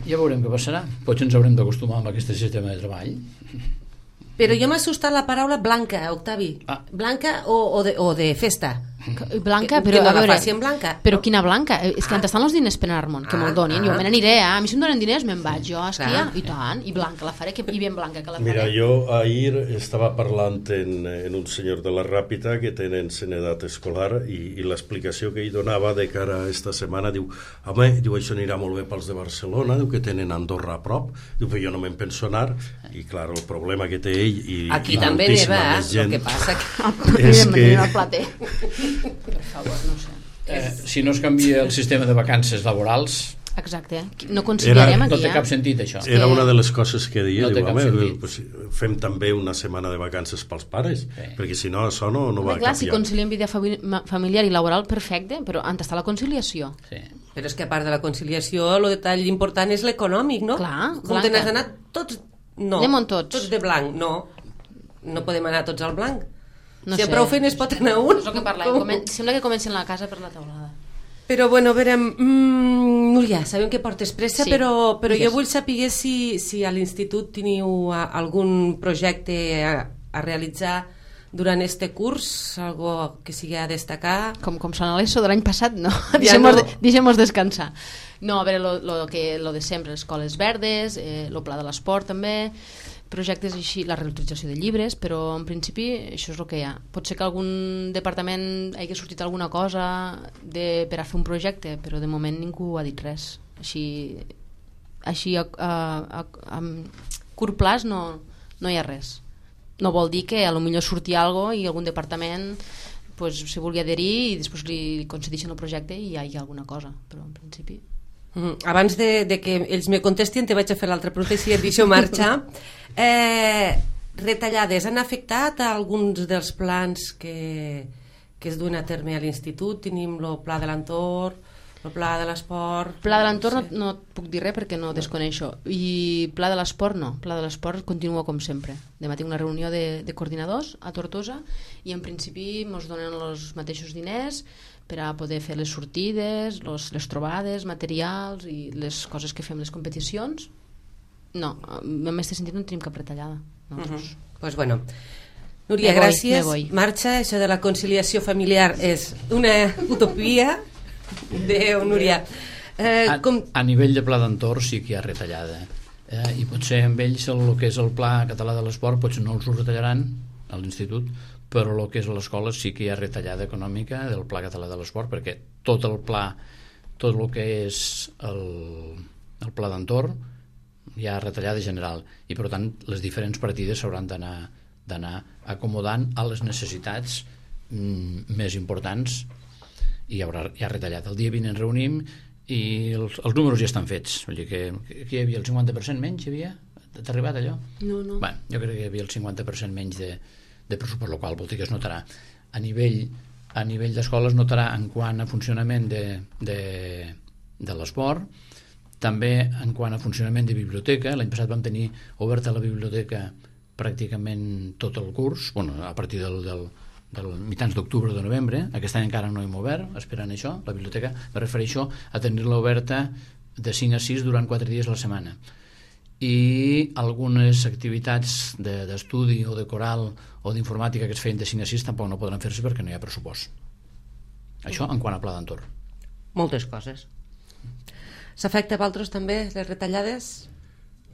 Ja veurem què passarà. Potser ens haurem d'acostumar amb aquest sistema de treball. Però jo m'ha assustat la paraula blanca, Octavi. Ah. Blanca o, o, de, o de festa. Blanca, que, però que no a veure, la faci en blanca. Però quina blanca? És que ah. on estan els diners per anar-me'n? Que ah, me'l donin, ah. jo me n'aniré, eh? A mi si em donen diners me'n vaig jo a esquiar, i tant, i blanca la faré, que, i ben blanca que la faré. Mira, jo ahir estava parlant en, en un senyor de la Ràpita que tenen edat escolar i, i l'explicació que ell donava de cara a esta setmana, diu, home, diu, això anirà molt bé pels de Barcelona, diu que tenen Andorra a prop, diu, però jo no me'n penso anar, i clar, el problema que té ell i, aquí i també neva, gent, el que passa que... és que... per favor, no sé. Eh, si no es canvia el sistema de vacances laborals, exacte, no conciliarem era, aquí, no té eh? cap sentit això. Era una de les coses que deia, no diu, home, pues, fem també una setmana de vacances pels pares, sí. perquè si no això no, no va clar, canviar. Si conciliem vida familiar i laboral, perfecte, però on està la conciliació? Sí. Però és que a part de la conciliació, el detall important és l'econòmic, no? Clar, com te n'has anat tots, no, anem tots. tots de blanc, no, no podem anar tots al blanc. No si sé. a prou feines pot anar un. És el que parlem. Comen... Sembla que comencen la casa per la taulada. Però bueno, a veure, mm, Núria, sabem que portes pressa, sí. però, però yes. jo vull saber si, si a l'institut teniu algun projecte a, a realitzar durant este curs, algo que sigui a destacar. Com, com són a l'ESO de l'any passat, no. Ja Deixem-nos no. de, deixem descansar. No, a veure, lo, lo, que, lo de sempre, escoles verdes, eh, lo pla de l'esport també, projectes així, la reutilització de llibres, però en principi això és el que hi ha. Pot ser que algun departament hagi sortit alguna cosa de, per a fer un projecte, però de moment ningú ha dit res. Així, així a, a, a, a curt plaç no, no hi ha res. No vol dir que a lo millor surti algo i algun departament pues, si vulgui adherir i després li concedeixen el projecte i hi ha alguna cosa, però en principi... Mm, abans de, de que ells me contestin, te vaig a fer l'altra pregunta i si et deixo marxar. Eh, retallades han afectat a alguns dels plans que, que es duen a terme a l'institut? Tenim el pla de l'entorn, el pla de l'esport... Pla de l'entorn no, sé. no, no puc dir res perquè no desconeixo. I pla de l'esport no. Pla de l'esport continua com sempre. Demà tinc una reunió de, de coordinadors a Tortosa i en principi ens donen els mateixos diners per a poder fer les sortides, los, les trobades, materials i les coses que fem les competicions. No, en aquest sentit no tenim cap retallada. No, Uh-huh. doncs... Pues bueno, Núria, Me voy, gràcies. me voy. Marxa, això de la conciliació familiar és una utopia. Adéu, Núria. Eh, A, com... a nivell de pla d'entorn sí que hi ha retallada. Eh, I potser amb ells el, el que és el pla català de l'esport potser no els ho retallaran a l'institut, però el que és a l'escola sí que hi ha retallada econòmica del pla català de l'esport, perquè tot el pla, tot el que és el, el pla d'entorn hi ha retallada general i per tant les diferents partides s'hauran d'anar d'anar acomodant a les necessitats mm, més importants i hi haurà, hi ha retallat. El dia vint ens reunim i els, els números ja estan fets, vull dir que, que hi havia el cinquanta per cent menys, hi havia? T'ha arribat allò? No, no. Bé, jo crec que hi havia el cinquanta per cent menys de, de pressupost, el qual vol dir que es notarà a nivell, a nivell d'escola es notarà en quant a funcionament de, de, de l'esport, també en quant a funcionament de biblioteca. L'any passat vam tenir oberta la biblioteca pràcticament tot el curs, bueno, a partir del, del, del mitjans d'octubre o de novembre. Aquest any encara no hem obert, esperant això, la biblioteca. Me refereixo a tenir-la oberta de cinc a sis durant quatre dies a la setmana. I algunes activitats de, d'estudi o de coral o d'informàtica que es feien de cinc a sis tampoc no podran fer-se perquè no hi ha pressupost. Això en quant a pla d'entorn. Moltes coses. S'afecta a vosaltres també les retallades?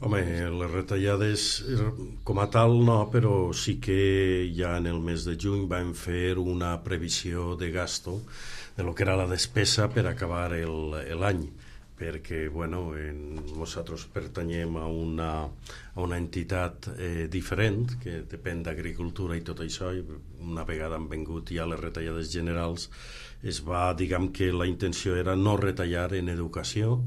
Home, les retallades com a tal no, però sí que ja en el mes de juny vam fer una previsió de gasto de lo que era la despesa per acabar l'any, perquè bueno, en, nosaltres pertanyem a una, a una entitat eh, diferent que depèn d'agricultura i tot això, i una vegada han vengut ja les retallades generals es va, diguem que la intenció era no retallar en educació,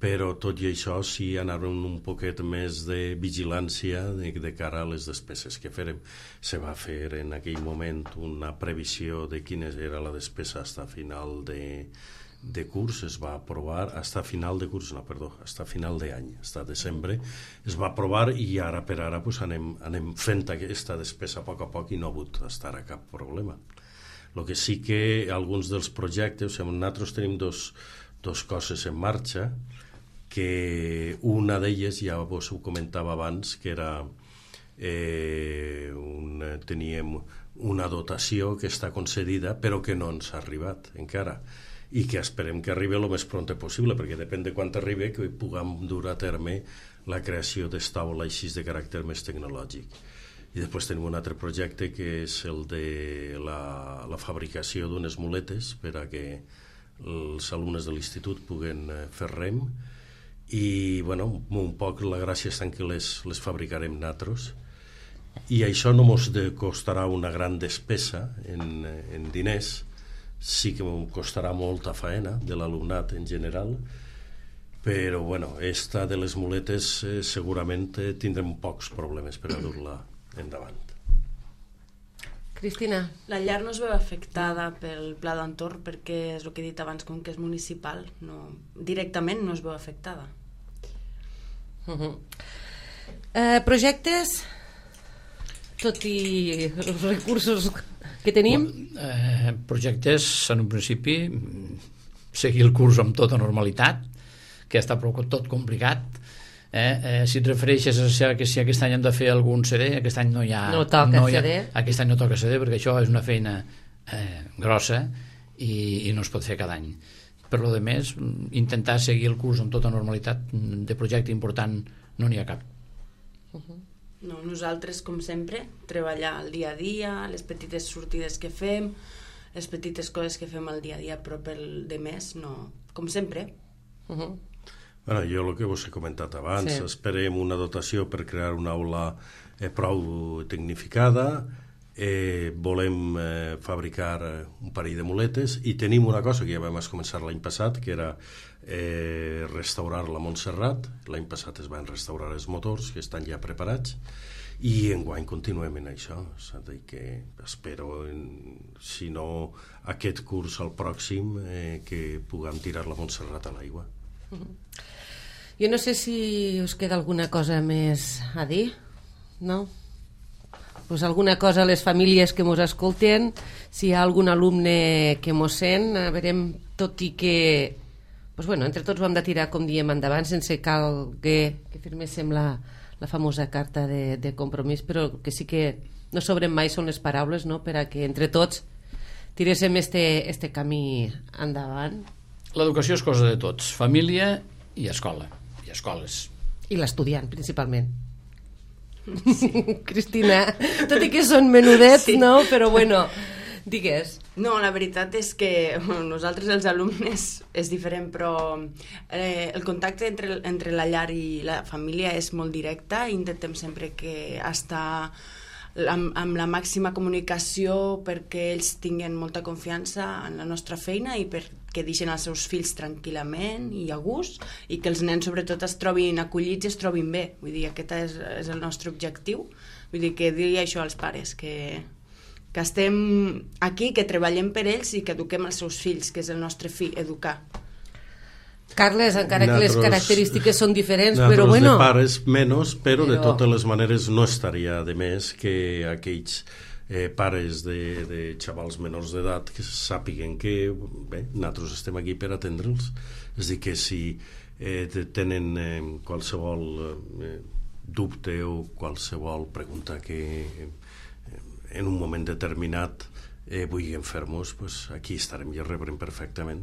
però tot i això sí anar un poquet més de vigilància de, de cara a les despeses que farem. Se va fer en aquell moment una previsió de quina era la despesa fins a final de, de curs, es va aprovar, fins a final de curs, no, perdó, fins a final d'any, fins a desembre, es va aprovar i ara per ara pues, anem, anem fent aquesta despesa a poc a poc i no ha hagut estar a cap problema. El que sí que alguns dels projectes, o sigui, nosaltres tenim dos, dos coses en marxa, que una d'elles, ja vos ho comentava abans, que era eh, un, teníem una dotació que està concedida però que no ens ha arribat encara i que esperem que arribi el més pront possible, perquè depèn de quan arribi que puguem dur a terme la creació d'estaula així de caràcter més tecnològic. I després tenim un altre projecte que és el de la, la fabricació d'unes muletes per a que els alumnes de l'institut puguen fer rem i bueno, un poc la gràcia és que les, les fabricarem nosaltres i això no ens costarà una gran despesa en, en diners, sí que ens costarà molta faena de l'alumnat en general, però bueno, esta de les muletes eh, segurament eh, tindrem pocs problemes per a dur-la endavant. Cristina? La llar no es veu afectada pel pla d'entorn perquè és el que he dit abans, com que és municipal, no, directament no es veu afectada. Uh-huh. Eh, projectes, tot i els recursos que tenim? Eh, projectes, en un principi, seguir el curs amb tota normalitat, que està prou tot complicat. Eh, eh, si et refereixes a que si aquest any hem de fer algun C D, aquest any no hi ha... No toca no hi ha, C D. Aquest any no toca C D perquè això és una feina eh, grossa i, i no es pot fer cada any. Per lo de més, intentar seguir el curs amb tota normalitat, de projecte important no n'hi ha cap. Uh-huh. No, nosaltres, com sempre, treballar el dia a dia, les petites sortides que fem, les petites coses que fem al dia a dia, però pel de més, no, com sempre. Uh-huh. Bueno, jo el que vos he comentat abans, sí. Esperem una dotació per crear una aula eh, prou tecnificada, eh, volem eh, fabricar un parell de muletes i tenim una cosa que ja vam començar l'any passat, que era eh, restaurar la Montserrat. L'any passat es van restaurar els motors, que estan ja preparats, i enguany continuem en això. És a dir, que espero, en, si no aquest curs al pròxim, eh, que puguem tirar la Montserrat a l'aigua. Jo no sé si us queda alguna cosa més a dir, no? Pues alguna cosa a les famílies que mos escolten, si hi ha algun alumne que mos sent, a veure, tot i que pues bueno, entre tots ho hem de tirar, com diem, endavant, sense cal que, que firméssim la, la famosa carta de, de compromís, però que sí que no sobren mai són les paraules, no?, per a que entre tots tiréssim este, este camí endavant. L'educació és cosa de tots, família i escola, i escoles. I l'estudiant, principalment. Sí. Cristina, tot i que són menudets, sí. No? Però bueno, digues. No, la veritat és que bueno, nosaltres els alumnes és diferent, però eh, el contacte entre, entre la llar i la família és molt directe. Intentem sempre que estar amb, amb la màxima comunicació perquè ells tinguin molta confiança en la nostra feina i perquè deixen els seus fills tranquil·lament i a gust, i que els nens sobretot es trobin acollits i es trobin bé. Vull dir, aquest és, és el nostre objectiu. Vull dir, que digui això als pares, que que estem aquí, que treballem per ells i que eduquem els seus fills, que és el nostre fi, educar. Carles, encara que les característiques són diferents, però bueno... de pares menys, però, però de totes les maneres no estaria de més que aquells eh, pares de, de xavals menors d'edat que sàpiguen que bé, nosaltres estem aquí per atendre'ls. És a dir, que si eh, tenen eh, qualsevol eh, dubte o qualsevol pregunta que... Eh, en un moment determinat eh, vulguin fer-nos, pues aquí estarem i rebrem perfectament.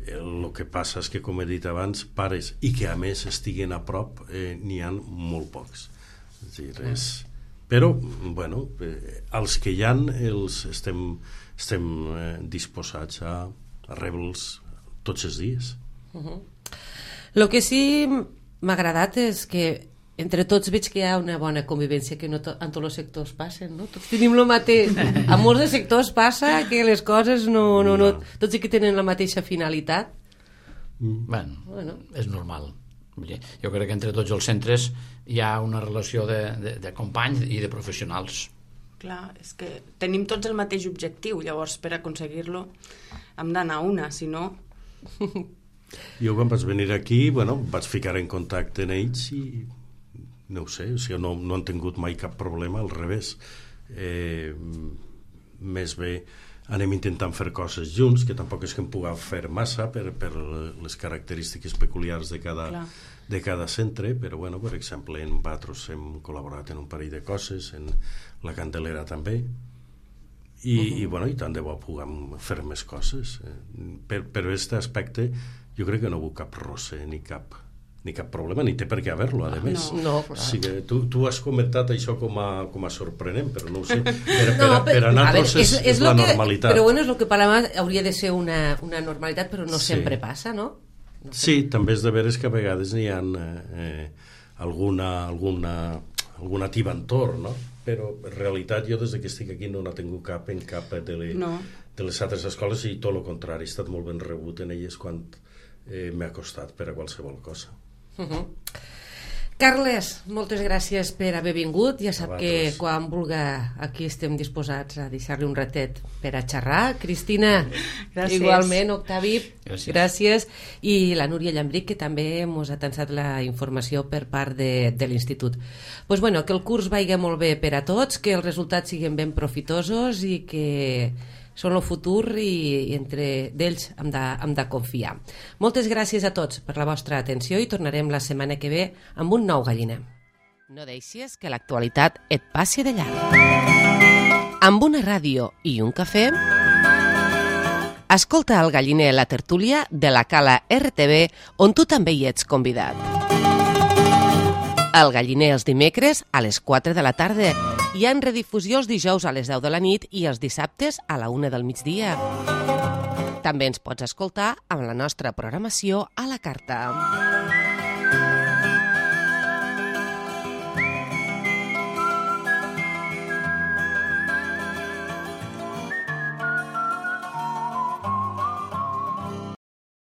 El que passa és que, com he dit abans, pares i que a més estiguen a prop eh, n'hi ha molt pocs. És dir, és... Però, bueno, eh, els que hi ha els estem, estem eh, disposats a, a rebre'ls tots els dies. El uh-huh. que sí m'ha agradat és que entre tots veig que hi ha una bona convivència, que no to, en tots els sectors passen, no? Tots tenim el mateix. A molts de sectors passa que les coses no, no, no, tots i que tenen la mateixa finalitat. Bueno, bueno, és normal. Jo crec que entre tots els centres hi ha una relació de, de, de companys i de professionals. Clar, és que tenim tots el mateix objectiu, llavors per aconseguir-lo hem d'anar a una, si no... Jo quan vaig venir aquí, bueno, vaig ficar en contacte amb ells i no ho sé, o sigui, no, no han tingut mai cap problema, al revés. Eh, més bé anem intentant fer coses junts, que tampoc és que em puguem fer massa per, per les característiques peculiars de cada, de cada centre, però bueno, per exemple en Batros hem col·laborat en un parell de coses, en la Candelera també, i, uh-huh. i bueno, i tant de bo puguem fer més coses. Per, però aquest aspecte jo crec que no vull cap roce ni cap ni cap problema, ni té per què haver-lo, a més. No, no, clar. Sí que tu, tu has comentat això com a, com a sorprenent, però no ho sé. Per, per, no, per, per a nosaltres és, és, és la que, normalitat. Però bueno, és el que per a hauria de ser una, una normalitat, però no sí. sempre passa, no? no sí, també és de veres que a vegades n'hi ha eh, alguna, alguna, alguna tibantor, no? Però en realitat jo des que estic aquí no n'ha tingut cap en cap de, le, no. de les altres escoles, i tot el contrari, he estat molt ben rebut en elles quan eh, m'ha costat per a qualsevol cosa. Uh-huh. Carles, moltes gràcies per haver vingut. Ja sap que quan vulga aquí estem disposats a deixar-li un ratet per a xerrar. Cristina, gràcies. Igualment, Octavi, gràcies. gràcies. I la Núria Llambric, que també ens ha tensat la informació per part de, de l'institut. Pues bueno, que el curs vagi molt bé per a tots, que els resultats siguin ben profitosos i que són el futur i, i entre d'ells hem de, hem de confiar. Moltes gràcies a tots per la vostra atenció i tornarem la setmana que ve amb un nou Galliner. No deixis que l'actualitat et passi de llarg. Amb una ràdio i un cafè, escolta el Galliner, la tertúlia de la Cala R T V, on tu també hi ets convidat. El Galliner els dimecres a les quatre de la tarda i en redifusió els dijous a les deu de la nit i els dissabtes a la una del migdia. També ens pots escoltar amb la nostra programació a la carta.